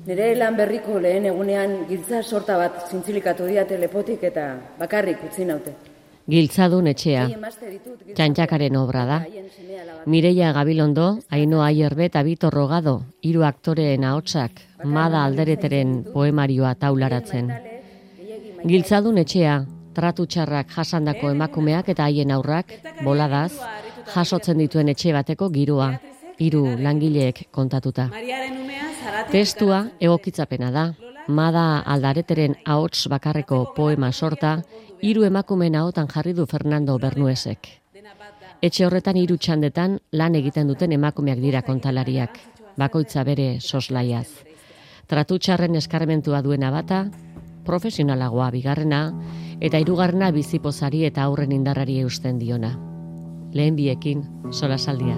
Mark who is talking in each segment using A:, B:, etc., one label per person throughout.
A: Nire lan berriko lehen egunean giltza sorta bat zintzilikatu diate lepotik eta bakarrik utzi naute.
B: Giltzadun etxea, Txantxakaren obra da. Mireia Gabilondo, Ainhoa Aierbe eta Bitor Rogado, 3 aktoreen ahotsak, Mada Aldereteren poemarioa taularatzen. Giltzadun etxea, tratu txarrak jasandako emakumeak eta haien aurrak, boladaz, jasotzen dituen etxe bateko giroa, 3 langileek kontatuta. Testua egokitzapena da. Mada Aldareteren ahots bakarreko poema sorta, 3 emakumeen ahotan jarri du Fernando Bernuesek. Etxe horretan 3 txandetan lan egiten duten emakumeak dira kontalariak, bakoitza bere soslaiaz. Tratutxarren eskarmentua duena bata, profesionalagoa bigarrena, eta 3. bizipozari eta aurren indarrari eusten diona. Lehen biekin, solasaldia.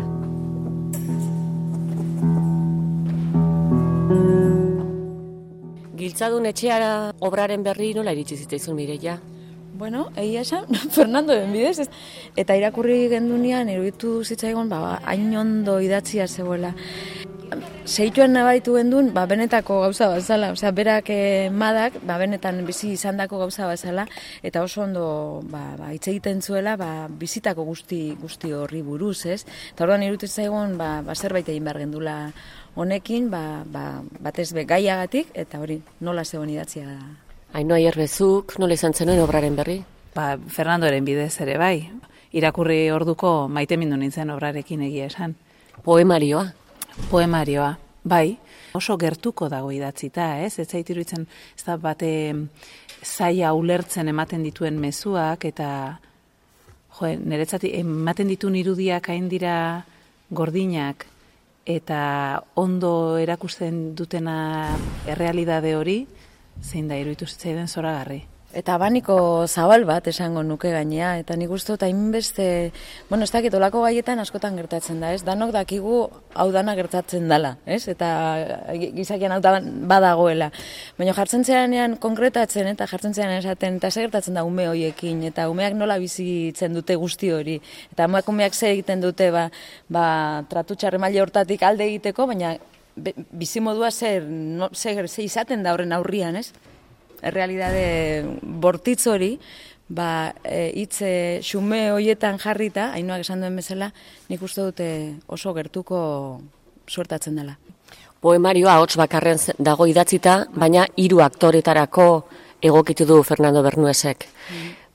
B: Giltzadun etxeara obraren berri nola iritsi zitzaizun, Mireia?
C: Bueno, egia esan, Fernandoren bidez, eta irakurri gendunean, iruditu zitzaigun, hain ondo idatzia zegoela. Seituan nabaritu gendun, benetako gauza bazala, berak Madak, benetan bizi izandako gauza bazala, eta oso ondo hitz egiten zuela, bizitako guzti horri buruz, ez? Eta orduan iruditu zitzaigun, zerbait egin behar gendula honekin, batez be gaiagatik, eta hori nola zegoen idatzia da.
B: Ainhoa Aierbezuk, nola izan zenuen obraren berri?
D: Fernandoren bidez ere bai. Irakurri orduko maitemindu nintzen obrarekin egia esan. Poemarioa, bai. Oso gertuko dago idatzita, ez? Ez zait iruditzen, ez da bate zaila ulertzen ematen dituen mezuak, eta niretzat ematen dituen irudiak hain dira gordinak, eta ondo erakusten dutena errealidade hori, zein da iruditu zitzaidan zoragarri.
C: Eta abaniko zabal bat esango nuke gainea, eta nik uste dut hainbeste, ez dakit olako gaietan askotan gertatzen da, ez? Danok dakigu hau dana gertatzen dela, ez? Eta gizakian hau badagoela. Baina jartzen zeanean konkretatzen eta jartzen zeanean esaten, eta ze gertatzen da ume horiekin, eta umeak nola bizitzen dute guzti hori, eta emakumeak ze egiten dute tratutxarre maila hortatik alde egiteko, baina bizimodua ze izaten da horren aurrian, ez? Errealidade bortitz hori, hitz xume hoietan jarrita, Ainhoak esan duen bezala, nik uste dute oso gertuko suertatzen dela.
B: Poemarioa ahots bakarren dago idatzita, baina 3 aktoretarako egokitu du Fernando Bernuesek.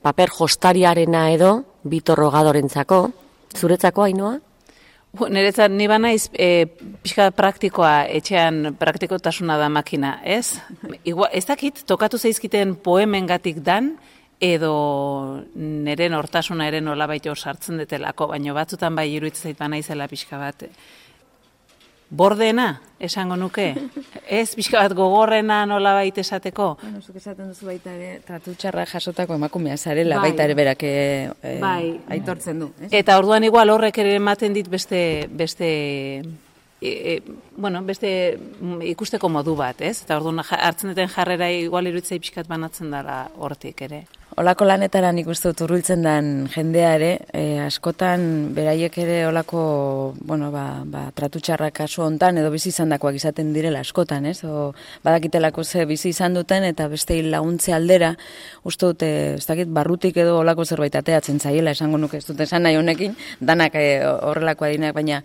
B: Paper jostariarena edo, Bitor Rogadorentzako, zuretzako, Ainhoa?
D: Niretzat, ni banaiz pixka praktikoa, etxean praktikotasuna da makina, ez? Ez dakit, tokatu zaizkiten poemengatik dan, edo neren hortasuna ere nolabait hor sartzen detelako, baina batzutan bai iruditzen zait banaizela pixka bat. Bordena, esango nuke? Ez pixka bat gogorrena nolabait esateko?
C: Zuk esaten duzu baita ere, tratutxarra jasotako emakumea zarela, baita ere berak aitortzen du.
D: Eta orduan igual horrek ere ematen dit beste ikusteko modu bat, ez? Eta orduan hartzen duten jarrera igual iruditzei pixkat banatzen dela hortik ere.
C: Olako lanetara nik uste dut urbiltzen den jendea ere, askotan beraiek ere olako, tratutxarrak kasu hontan edo bizi izandakoak izaten direla askotan, ez? Badakitelako ze bizi izan duten eta beste laguntze aldera, uste dut, ez dakit, barrutik edo olako zerbait ateatzen zaiela, esango nuke, ez dut esan nahi honekin, danak horrelako adinak, baina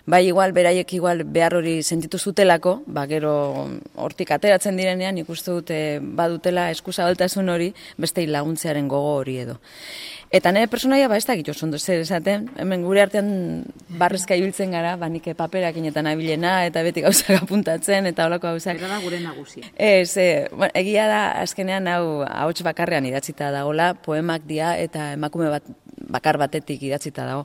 C: bai, beraiek behar hori sentitu zutelako, gero hortik ateratzen direnean, ikuste dute badutela eskuzabaltasun hori, beste laguntzearen gogo hori edo. Eta nire personaia, ez dakit oso ondo zer esaten, hemen gure artean barrezka ibiltzen gara, nik paperakin eta nabilena, eta beti gauzak apuntatzen, eta holako gauzak.
D: Bera da gure nagusia.
C: Egia da, azkenean hau ahots bakarrean idatzita dagoela, poemak dia eta emakume bakar batetik idatzita dago.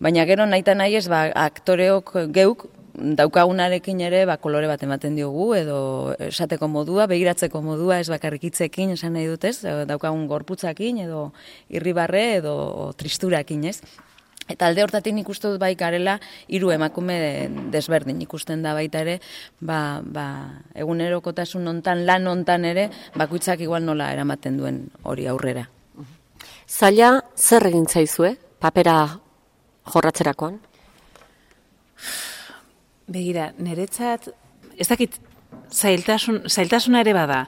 C: Baina gero nahi ez, aktoreok geuk daukagunarekin ere kolore bat ematen diogu, edo esateko modua, begiratzeko modua, ez bakarrik hitzekin esan nahi dut, ez? Daukagun gorputzakin, edo irribarre, edo tristurakin, ez? Eta alde hortatik nik uste dut bai garela 3 emakume desberdin ikusten da baita ere, egunerokotasun hontan, lan hontan ere, bakoitzak igual nola eramaten duen hori aurrera.
B: Zaila zer egin zaizue, papera jorratzerakoan?
D: Begira, niretzat, ez dakit zailtasuna ere bada,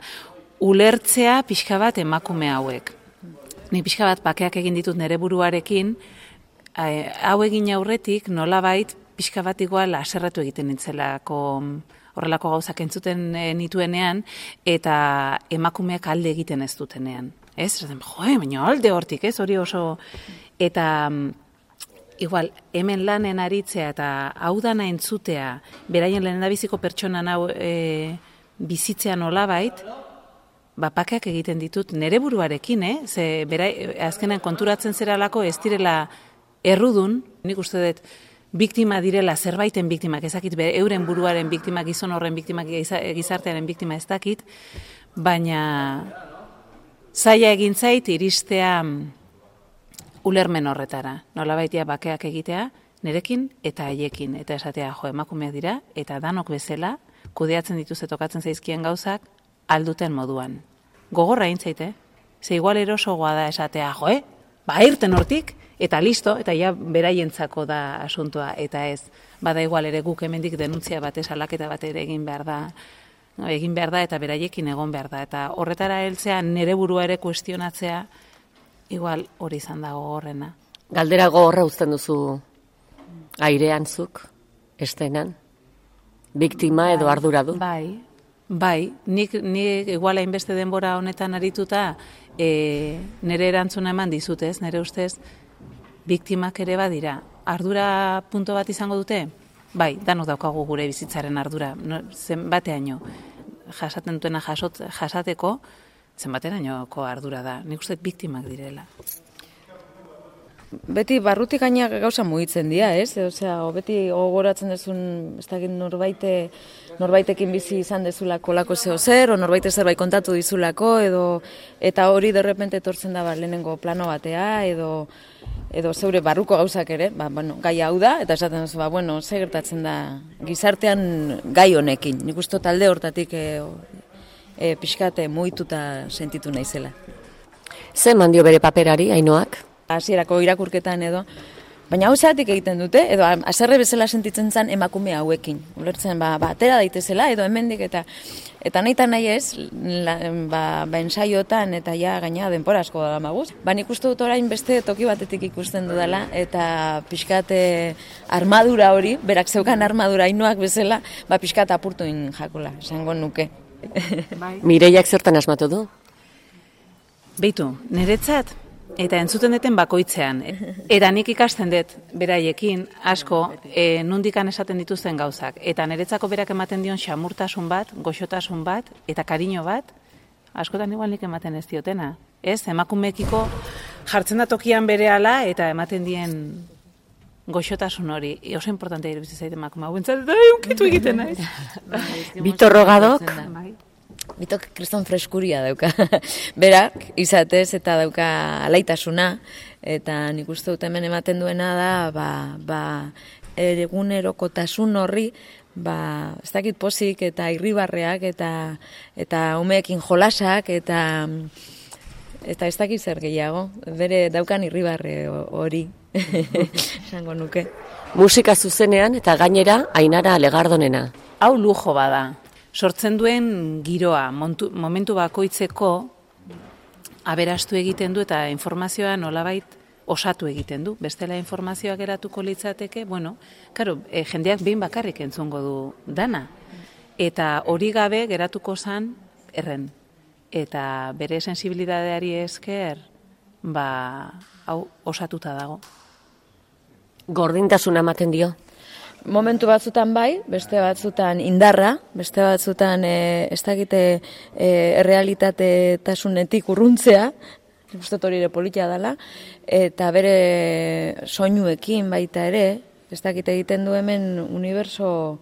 D: ulertzea pixka bat emakume hauek. Ni pixka bat bakeak egin ditut nere buruarekin, hau egin aurretik nolabait pixka bat igual aserratu egiten nintzelako horrelako gauzak entzuten nituenean, eta emakumeak alde egiten ez dutenean. Ez? Baina alde hortik, ez? Hori oso... Eta... Igual, hemen lanen aritzea eta hau dana entzutea, beraien lehendabiziko pertsonan hau bizitzea nolabait, bapakeak egiten ditut nere buruarekin, ze azkenan konturatzen zeralako ez direla errudun, nik uste dut biktima direla zerbaiten biktimak, ezakit euren buruaren biktimak, gizon horren biktimak, gizartearen biktima ez dakit, baina zaila egin zait iristea ulermen horretara, nolabaitia bakeak egitea, nerekin eta haiekin, eta esatea emakumeak dira, eta danok bezala, kudeatzen dituzte tokatzen zaizkien gauzak, alduten moduan. Gogorra intzaite, ze igual erosogoa da esatea, irten hortik, eta listo, eta ja beraientzako da asuntoa, eta ez, bada igual ere guk hemendik denuntzia bat salaketa bat ere egin behar da, eta beraiekin egon behar da, eta horretara heltzea nere burua ere kuestionatzea, igual hori izan dago horrena.
B: Galdera gogorra uzten duzu airean zuk, estenan? Biktima edo arduradu?
D: Bai, nik igual hainbeste denbora honetan arituta nire erantzuna eman dizutez, nire ustez, biktimak ere badira. Ardura punto bat izango dute? Bai, danok daukagu gure bizitzaren ardura. Zenbateaino jasaten duena jasateko, zenbaterainoko ardura da. Nik uste biktimak direla.
C: Beti barrutik gainak gauza mugitzen dira, ez? Osea, beti gogoratzen dezun, ez dakit norbaitekin bizi izan dezulako lako zeo zer, o norbaite zerbait kontatu dizulako, eta hori derrepente etortzen da lehenengo plano batea, edo zeure barruko gauzak ere, gai hau da, eta esaten duzu, ze gertatzen da gizartean gai honekin. Nik uste talde hortatik pixkate mugituta sentitu naizela.
B: Ze mandio bere paperari, Ainoak?
C: Hasierako irakurketan edo, baina hau zeatik egiten dute, edo haserre bezala sentitzen zen emakume hauekin. Ulertzen, atera daitezela, edo hemendik eta nahi eta nahi ez, ensaiotan eta ja gaina denpora asko da maguz. Nik uste dut orain beste toki batetik ikusten dudala, eta pixkate armadura hori, berak zeukan armadura Ainoak bezala, pixkat apurtuin jakola, esango nuke.
B: Mireiak zertan asmatu du?
D: Beitu, niretzat, eta entzuten deten bakoitzean. Eta nik ikasten dut beraiekin asko nundikan esaten dituzten gauzak. Eta niretzako berak ematen dion xamurtasun bat, goxotasun bat, eta kariño bat, askotan igual nik ematen ez diotena. Ez, emakumekiko jartzen da tokian berehala eta ematen dien goxotasun hori. Oso importantea iruditzen zait emakume hau entzat, unkitu egiten naiz.
B: Vitor Rogadok?
C: Bitok kriston freskuria dauka. Berak, izatez eta dauka alaitasuna, eta nik uste dut hemen ematen duena da, egunerokotasun horri, ez dakit pozik eta irribarreak eta umeekin jolasak eta ez dakit zer gehiago, bere daukan irribarre hori, esango nuke.
B: Musika zuzenean eta gainera Ainara Legardonena.
D: Hau lujo bada. Sortzen duen giroa, momentu bakoitzeko aberastu egiten du eta informazioa nolabait osatu egiten du. Bestela informazioak geratuko litzateke, jendeak behin bakarrik entzungo du dana. Eta hori gabe geratuko zan erren. Eta bere sensibilidadeari esker, hau osatuta dago.
B: Gordintasuna ematen dio?
C: Momentu batzutan bai, beste batzutan indarra, beste batzutan ez dakite errealitatasunetik urruntzea, uste hori ere politia dela, eta bere soinuekin baita ere, ez dakite egiten du hemen uniberso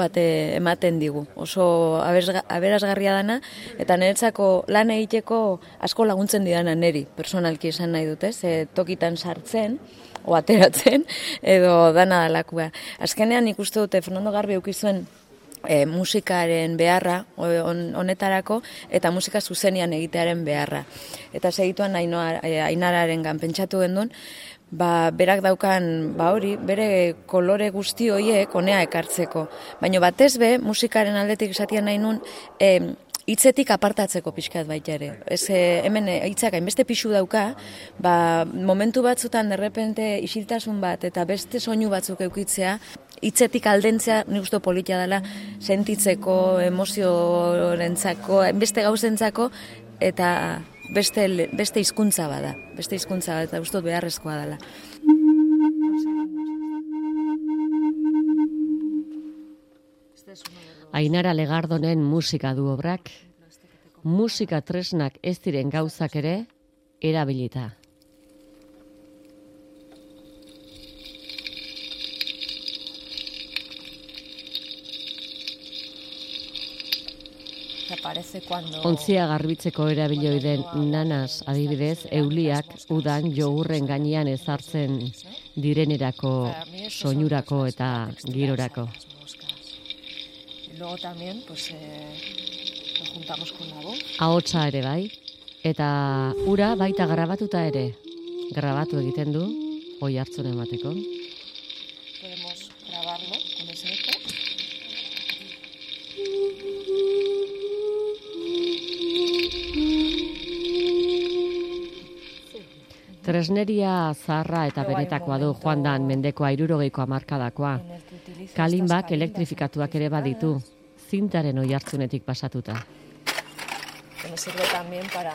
C: bat ematen digu. Oso aberasgarria dana, eta niretzako lan egiteko asko laguntzen didana neri, personalki esan nahi dute, tokitan sartzen, o ateratzen, edo dana dalakua. Azkenean ikuste dute Fernando Garbi eukizuen musikaren beharra honetarako, eta musika zuzenian egitearen beharra. Eta segituan Ainararengan pentsatu gendun, berak daukan, hori, bere kolore guzti horiek honea ekartzeko. Baina batez be, musikaren aldetik esatia nahi nun, hitzetik apartatzeko pixkat baita ere. Hemen hitzak hainbeste pixu dauka, momentu batzutan derrepente isiltasun bat eta beste soinu batzuk eukitzea, hitzetik aldentzea nik uste politia dela sentitzeko, emoziorentzako, beste gauzentzako, eta beste hizkuntza bada. Beste hizkuntza bat, eta uste beharrezkoa dela.
B: Ainara Legardonen musika du obrak, musika tresnak ez diren gauzak ere erabilita. Ontzia garbitzeko erabilioi den nanas adibidez, euliak udan jogurren gainean ezartzen direnerako, soinurako eta girorako.
E: Luego también, pues, lo juntamos con la voz.
B: Ahotsa ere bai, eta ura baita grabatuta ere. Grabatu egiten du, oi hartzun emateko.
E: Podemos grabarlo con ese eco.
B: Tresneria zaharra eta benetakoa du joan mendeko 60ko hamarkadakoa. Kalinbak elektrifikatuak ere baditu, zintaren oihartzunetik pasatuta.
E: Me sirve también para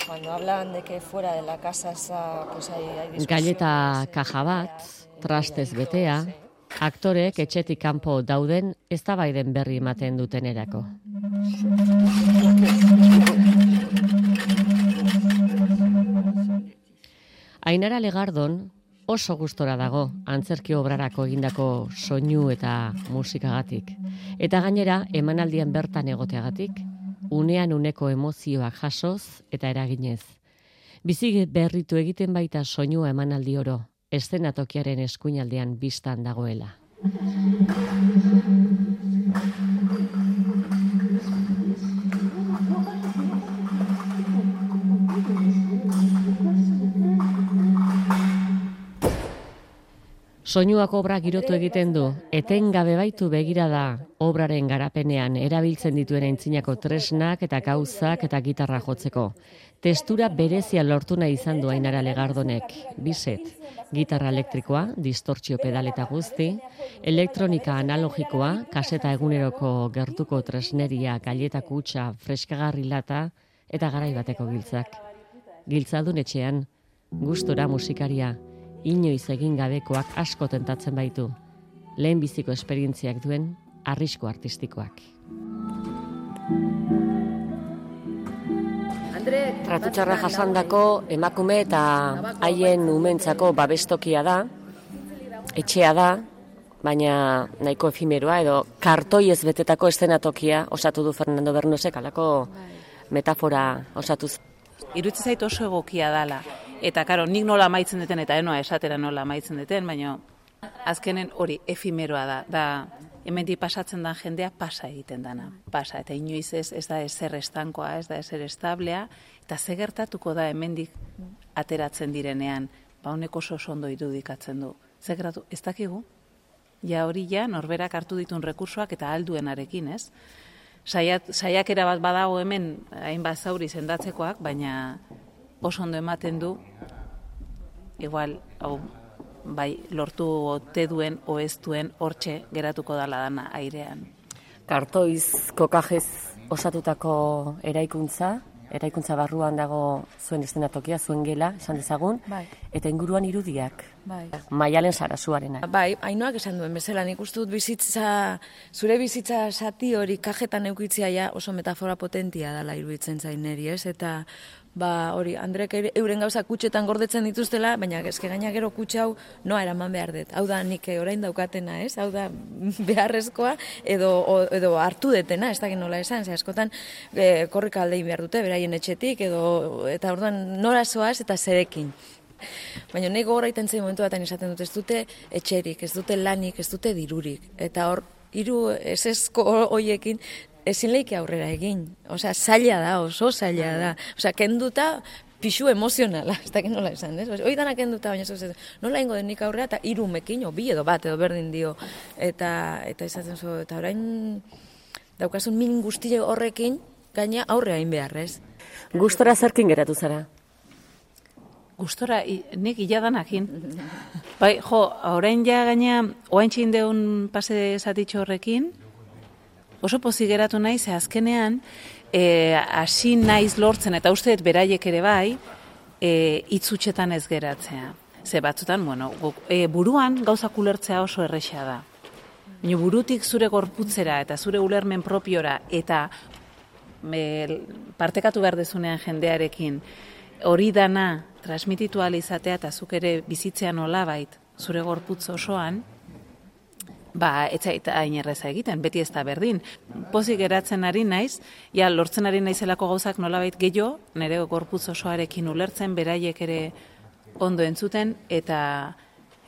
E: cuando hablan de que fuera de la casa pues hay discusiones.
B: Galleta kaja bat, trastez betea, aktorek etxetik kanpo dauden eztabaiden berri ematen dutenerako. Ainara Legardon oso gustora dago antzerki obrarako egindako soinu eta musikagatik. Eta gainera emanaldian bertan egoteagatik, unean uneko emozioak jasoz eta eraginez. Bizi berritu egiten baita soinua emanaldi oro, eszenatokiaren eskuinaldean bistan dagoela. Soinuak obra girotu egiten du, etengabe baitu begirada obraren garapenean erabiltzen dituen aintzinako tresnak eta gauzak eta gitarra jotzeko. Testura berezia lortu nahi izan du Ainara Legardonek, biset, gitarra elektrikoa, distortzio pedal eta guzti, elektronika analogikoa, kaseta eguneroko gertuko tresneria, galleta kutxa, freskagarri lata eta garai bateko giltzak. Giltzadun etxean, gustora musikaria, inoiz egin gabekoak asko tentatzen baitu, lehen biziko esperientziak duen arrisku artistikoak. Tratutxarra jasandako emakume eta haien umentzako babestokia da, etxea da, baina nahiko efimeroa edo kartoiez betetako eszenatokia osatu du Fernando Bernosek, alako metafora osatuz.
D: Iruditzen zait oso egokia dala. Eta, karo, nik nola amaitzen duten, eta enoa esatera nola amaitzen duten, baina azkenen hori efimeroa da. Da, hemendik pasatzen da jendea pasa egiten dana. Pasa, eta inoiz ez da ezer estankoa, ez da ezer establea, eta ze gertatuko da hemendik ateratzen direnean, honek oso ondo irudikatzen du. Ze gertatu, ez dakigu? Ja hori ja, norberak hartu ditun rekursoak eta alduenarekin, ez? Saiakera bat badago hemen, hainbat zauri sendatzekoak, baina oso ondo ematen du, igual, bai, lortu ote duen, o ez duen, hortxe geratuko dala dana airean.
B: Kartoiz kokajez osatutako eraikuntza barruan dago zuen eszenatokia, zuen gela, esan dezagun,
C: bai.
B: Eta inguruan irudiak,
C: bai.
B: Maialen Sarasuarena.
C: Bai, Ainoak esan duen bezala, nik uste dut zure bizitza sati hori kajetan eukitzia ja oso metafora potentia dela iruditzen zain neri, ez? Eta hori, Andrek euren gauza kutxetan gordetzen dituztela, baina eske gaina gero kutxa hau noa eraman behar dut. Hau da nik orain daukatena, ez? Hau da beharrezkoa edo hartu detena, ez dakit nola esan, ze askotan korrika aldein behar dute, beraien etxetik, eta orduan nora zoaz eta zerekin. Baina nahi gogorra iten zein momentu batean esaten dut, ez dute etxerik, ez dute lanik, ez dute dirurik. Eta hor, hiru esesko hoiekin, ezin leike aurrera egin. Osea, zaila da, oso zaila da. Osea, kenduta pixu emozionala, ez dakit nola esan, ez? Hoi danak enduta, baina ez, nola ingo den nik aurrea, eta 3 umekin, bi edo bat, edo berdin dio, eta izaten zu, eta orain daukasun min guztie horrekin, gaina aurrea hain behar, ez?
B: Gustora zerkin geratu zara?
D: Gustora, nik iladanakin. Bai, orain ja gaina, oain txin deun pase zatitxo horrekin, oso pozik geratu nahi, ze azkenean, hasi naiz lortzen, eta usteet beraiek ere bai, itzutxetan ez geratzea. Ze batzutan, buruan gauzak ulertzea oso erresa da. Baina burutik zure gorputzera eta zure ulermen propiora eta partekatu behar dezunean jendearekin hori dana transmititu ahal izatea eta zuk ere bizitzea nolabait zure gorputz osoan, ez zait hain erreza egiten, beti ez da berdin. Pozik geratzen ari naiz, lortzen ari naizelako gauzak nolabait gehiago, nire gorputz osoarekin ulertzen, beraiek ere ondo entzuten, eta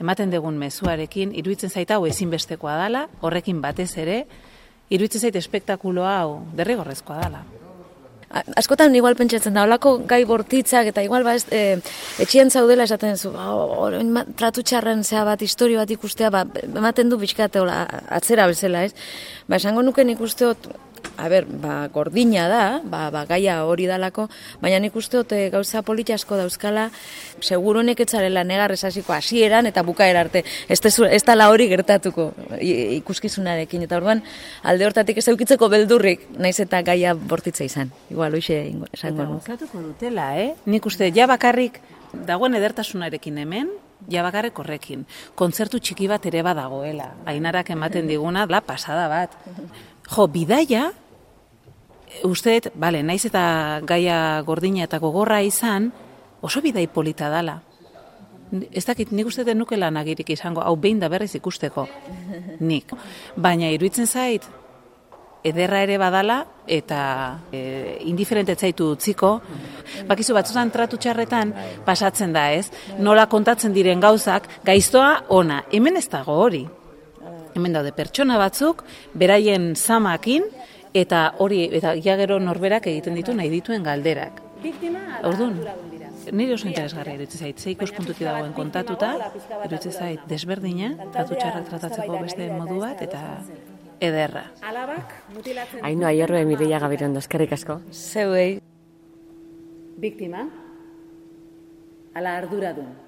D: ematen dugun mezuarekin, iruditzen zait hau ezinbestekoa dala, horrekin batez ere, iruditzen zait espektakulo hau derrigorrezkoa dala.
C: Askotan igual pentsatzen da, holako gai bortitzak eta igual etxien zaudela esaten zu, tratu txarren zea bat, historio bat ikustea, ematen du bizkate atzera bezala, ez? Esango nuke nik usteot, gordina da, gaia hori dalako, baina nik usteot gauza polita asko dauzkala, seguro neketzarela negarrez hasiko hasieran eta bukaera arte, ez dala hori gertatuko ikuskizunarekin, eta orduan alde hortatik ez eukitzeko beldurrik, naiz eta gaia bortitza izan, igual hoxe esango nuke.
D: Gustatuko dutela, nik uste, bakarrik dagoen edertasunarekin hemen, bakarrik horrekin, kontzertu txiki bat ere badagoela, Ainarak ematen diguna, pasada bat. Bidaia, usteet, naiz eta gaia gordina eta gogorra izan, oso bidai polita dala. Ez dakit, nik uste den nukela nagirik izango, hau behin da berriz ikusteko, nik. Baina iruditzen zait, ederra ere badala, eta indiferente zaitu utziko. Bakizu batzutan tratu txarretan pasatzen da, ez? Nola kontatzen diren gauzak, gaiztoa ona, hemen ez dago hori. Hemen daude pertsona batzuk, beraien zamakin, eta hori, eta gero norberak egiten ditu nahi dituen galderak. Orduan, nire oso interesgarria iruditzen zait, ze ikuspuntutik dagoen kontatuta, iruditzen zait desberdina, tratu txarrak tratatzeko beste modu bat, eta ederra.
B: Ainhoa Ayerbe, Mireia Gabirondo, eskerrik asko.
C: Zeuei.
A: Biktima, ala arduradun.